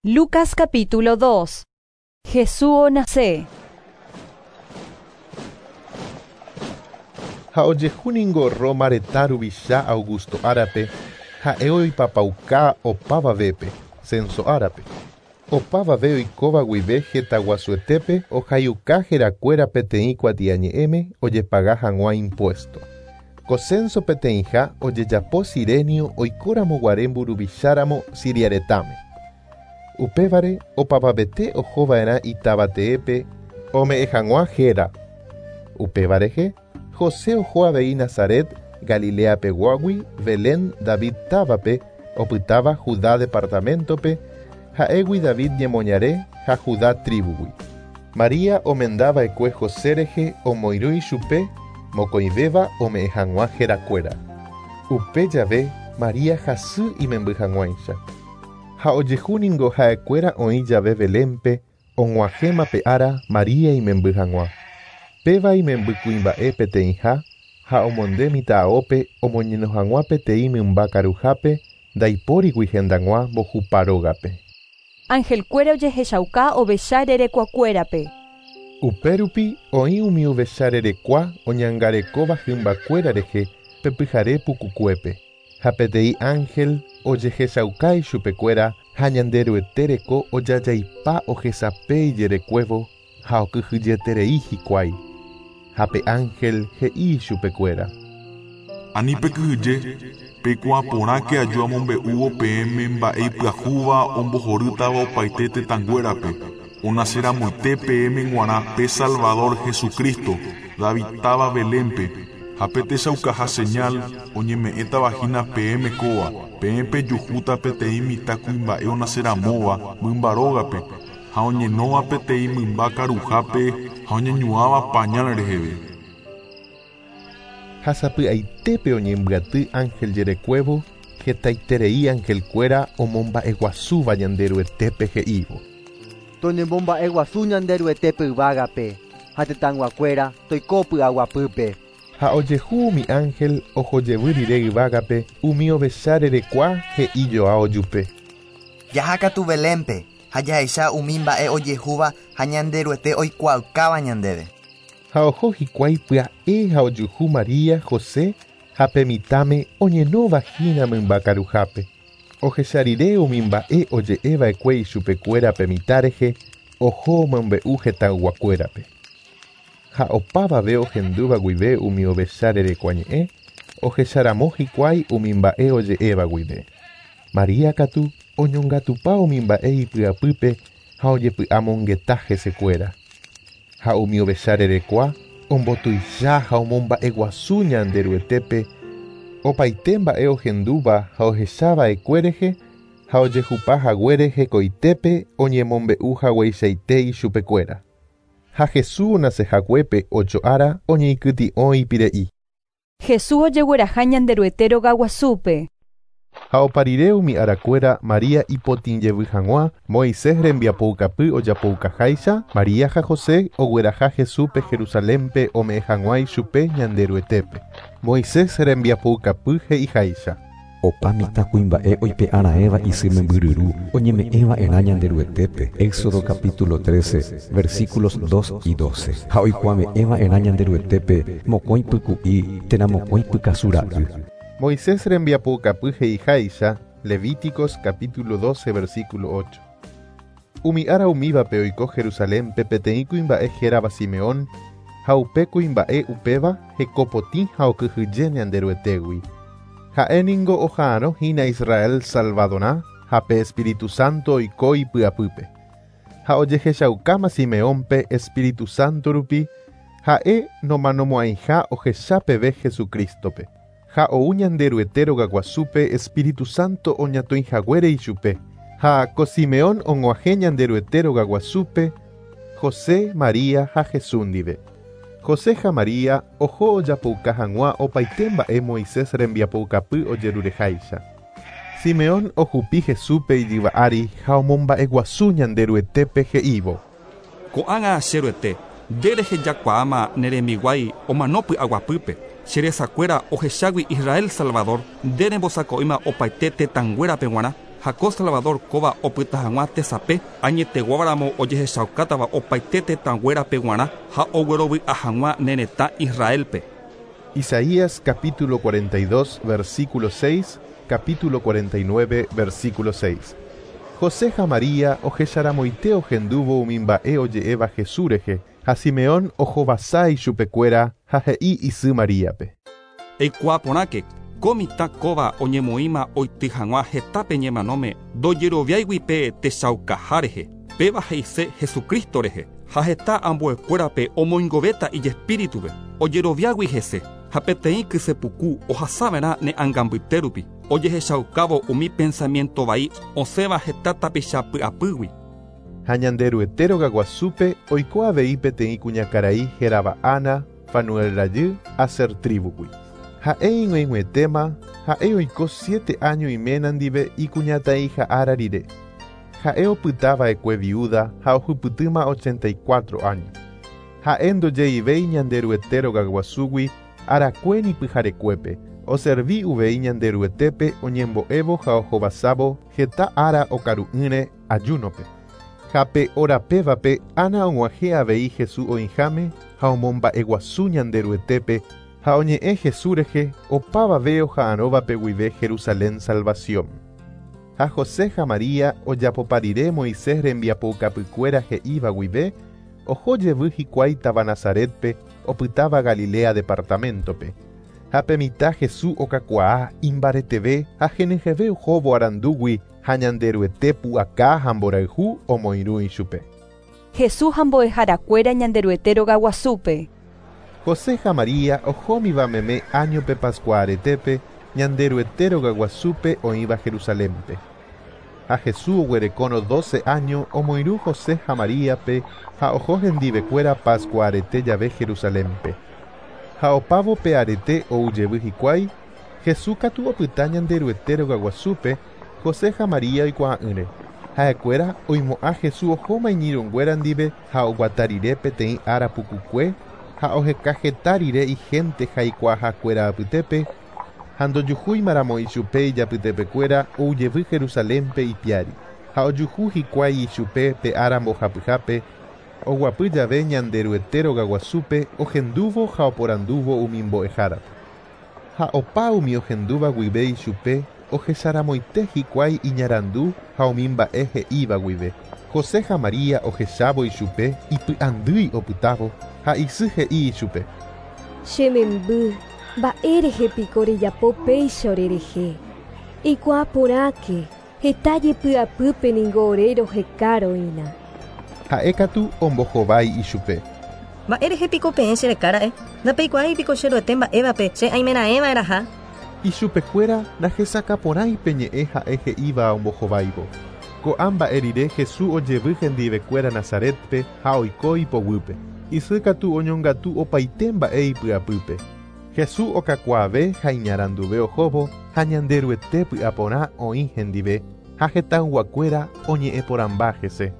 Lucas capítulo 2. Jesús nace. Ha ojehu ningo Roma retã ruvicha Augusto árape, ha'e oipapauka opavavépe, censo árape. Opavave oikóva guive hetaguasuetépe ohayuka herakuéra peteĩ kuatiañe'ẽme ojepaga hag̃ua impuesto. Ko censo peteĩha ojejapo Sirenio oikóramo guare mburuvicháramo Siria retãme. Upévare opavavete ohova'erã itavateépe ome'ẽ hag̃ua héra. Upéva rehe, José oho avei Nazaret, Galileapeguágui, Belén David távape, opytáva Judá departamento-pe, ha'égui David ñemoñare ha Judá tribu-gui. María omendava'ekue José rehe omoirũ ichupe mokõivéva ome'ẽ hag̃ua herakuéra. Upe jave María hasy imemby hag̃uáicha. Ha ojehu ningo ha'ekuéra oĩ jave Belénpe og̃uahẽma pe ára María imemby hag̃ua. Péva imemby kuimba'e peteĩha ha omonde mitã'aópe omoñeno hag̃ua peteĩ mymba karuhápe ndaipórigui hendag̃ua mbohupa rógape. Angelkuéra ojehechauka ovecha rerekuakuérape. Upérupi oĩ umi ovecha rerekua oñangarekóva hymbakuéra rehe pe pyhare pukukuépe. Ha peteĩ ángel ojehechauka ichupekuéra ha Ñanderuete reko ojajaipa ohesape ijerekuévo ha okyhyjeterei hikuái. Ha pe ángel he'i ichupekuéra. Ani pekyhyje, peikuaa porãke aju amombe'úvo peẽme mba'e ipyahúva ombohorýtava opaite tetãnguérape, onaceramoite peẽme g̃uarã pe Salvador Jesucristo, David táva Belénpe, ha pe techaukaha señal oñeme'ẽtava hína peẽme kóva, peẽ pejuhúta peteĩ mitãkuimba'e onaceramóva mymba rógape, ha oñenóva peteĩ mymba karuhápe ha oñeñuãva pañal reheve. Ha sapy'aitépe oñembyaty ángel jerekuévo, hetaiterei angelkuéra omomba'eguasúva Ñanderuetépe he'ívo. Toñembomba'eguasu Ñanderuetépe yvágape, ha tetãyguakuéra toiko py'aguapýpe. Ha ojehu umi ángel ohojevy rire yvágape umi ovecha rerekua he'ijoa ojupe. Jahákatu Belénpe ha jahecha umi mba'e ojehúva ha Ñanderuete oikuaaukáva ñandéve. Ha oho hikuái pya'e ha ojuhu María, José ha pe mitãme oñenóva hína mymba karuhápe. Ohecha rire umi mba'e oje'eva'ekue ichupekuéra pe mitã rehe, oho omombe'u hetãyguakuérape. Ha opavave ohendúva guive umi ovecha rerekua ñe'ẽ, ohecharamo hikuái umi mba'e oje'éva guive. María katu oñongatupa umi mba'e ipy'apýpe ha ojepy'amongeta hesekuéra. Ha umi ovecha rerekua ombotuicha ha omomba'eguasu Ñanderuetépe, opaite mba'e ohendúva ha ohechava'ekue rehe ha ojehupa haguére hekoitépe oñemombe'u hagueichaite ichupekuéra. Ha Jesús onacehaguépe ocho ára oñeikytĩ'o ipire'i. Jesús ojegueraha Ñanderuete rogaguasúpe. Ha opa rire umi arakuéra María ipotĩjevy hag̃ua, Moisés rembiapoukapy ojapoukaháicha, María ha José ogueraha Jesúspe Jerusalénpe ome'ẽ hag̃ua ichupe Ñanderuetépe. Moisés rembiapoukapy he'iháicha. Opa mitãkuimba'e oipe'araẽva isy membyryru oñeme'ẽva'erã Ñanderuetépe. Éxodo capítulo 13, versículos 2 y 12. Ha oikuave'ẽva'erã Ñanderuetépe mokõi pyku'i térã mokõi pykasu ra'y. Moisés rembiapoukapy he'iháicha, Levíticos capítulo 12, versículo 8. Umi ára umívape oiko Jerusalénpe peteĩ kuimba'e hérava Simeón, ha upe kuimba'e upéva hekopotĩ ha okyhyje Ñanderuetégui. Ha'e ningo oha'arõ hína Israel Salvadorã ha pe Espíritu Santo oiko ipy'apýpe. Ha ojehechaukáma Simeónpe Espíritu Santo rupi, ha'e nomanomo'ãiha ohecha peve Jesucristo-pe. Ha ou Ñanderuete rogaguasúpe Espíritu Santo oñatõihaguére ichupe. Ha ko Simeón og̃uahẽ Ñanderuete rogaguasúpe José, María ha Jesús ndive. José ha María oho ojapouka hag̃ua opaite mba'e Moisés rembiapoukapy ojerureháicha. Simeón ohupi Jesúspe ijyva ári ha omomba'eguasu Ñanderuetépe he'ívo. Ko'ág̃a che Ruete, nde rehejakuaáma ne rembiguái omano py'aguapýpe. Che resakuéra ohechágui Israel Salvador, nde rembosako'íma opaite tetãnguérape g̃uarã. Ha ko Salvador kóva opyta hag̃ua tesape añeteguávaramo ojehechaukátava opaite tetãnguérape g̃uarã ha oguerovy'a hag̃ua ne retã Israelpe. Isaías capítulo 42, versículo 6, capítulo 49, versículo 6. José ha María ohecharamoite ohendúvo umi mba'e oje'éva Jesús rehe, ha Simeón ohovasa ichupekuéra ha he'i isy Maríape. Eikuaa porãke, ko mitã kóva oñemoĩma oity hag̃ua hetápe ñemanóme ndojeroviáigui pe techaukaha rehe, péva he'ise Jesucristo rehe, ha heta ambuekuérape omoingovéta ijespíritupe, ojeroviágui hese, ha peteĩ kysepuku ohasava'erã ne ãngambyte rupi, ojehechaukávo umi pensamiento vai osẽva heta tapicha py'apýgui. Ha Ñanderuete rogaguasúpe oiko avei peteĩ kuñakarai hérava Ana, Fanuel rajy, Aser tribugui. Ha'e ig̃uaig̃uietéma, ha'e oiko 7 áño iména ndive ikuñataĩha ára rire. Ha'e opytava'ekue viuda ha ohupytýma 84 áño. Ha'e ndojeivéi Ñanderuete rogaguasúgui arakue ni pyharekuépe, oservi uvei Ñanderuetépe oñembo'évo ha ohovasávo heta ára okaru'ỹre ayúnope. Ha pe orapévape Ana og̃uahẽ avei Jesús oĩháme ha omomba'eguasu Ñanderuetépe ha oñe'ẽ Jesús rehe opavave oha'arõvape guive Jerusalén salvación. Ha José ha María ojapopa rire Moisés rembiapoukapykuéra he'íva guive, oho jevy hikuái táva Nazaretpe opytáva Galilea departamentope. Ha pe mitã Jesús okakuaa imbareteve ha henyhẽve ohóvo arandúgui ha Ñanderuete pu'aka ha mborayhu omoirũ ichupe. Jesús ha mbo'eharakuéra Ñanderuete rogaguasúpe. José ha María ohómiva meme áñope Pascua aretépe Ñanderuete rogaguasúpe oĩva Jerusalénpe. Ha Jesús oguerekórõ 12 áño omoirũ José ha Maríape ha oho hendivekuéra Pascua arete jave Jerusalénpe. Ha opávo pe arete ou jevy hikuái, Jesús katu opyta Ñanderuete rogaguasúpe José ha María oikuaa'ỹre. Ha'ekuéra oimo'ã Jesús ohóma iñirũnguéra ndive ha oguata rire peteĩ ára pukukue ha oheka heta rire ihénte jaikuaahakuéra apytépe ha ndojuhúimaramo ichupe ijapytepekuéra ou jevy Jerusalénpe ipiári. Ha ojuhu hikuái ichupe pe ára mbohapyhápe oguapy jave Ñanderuete rogaguasúpe ohendúvo ha oporandúvo umi mbo'ehárape. Ha opa umi ohendúva guive ichupe ohecharamoite hikuái iñarandu ha umi mba'e he'íva guive. José ha María ohechávo ichupe ipy'andýi opytávo ha isy he'i ichupe. Che memby, mba'érehe piko rejapo péicha orerehe. Eikuaa porãke, heta jepy'apýpe ningo ore rohekaroína. Ha'e katu ombohovái ichupe. Mba'érehe piko peẽ cherekára'e, ndapeikuaái piko che Ruete mba'évape che aimera'ẽva'erãha. Ichupekuéra ndahesakãporãi pe ñe'ẽ ha'e he'íva ombohováivo. Ko'ã mba'e rire Jesús ojevy hendivekuéra Nazaretpe ha oiko ipoguýpe. Isy katu oñongatu opaite mba'e ipy'apýpe. Jesús okakuaave ha iñaranduve ohóvo ha Ñanderuete py'aporã oĩ hendive ha hetãyguakuéra oñe'ẽporãmba hese.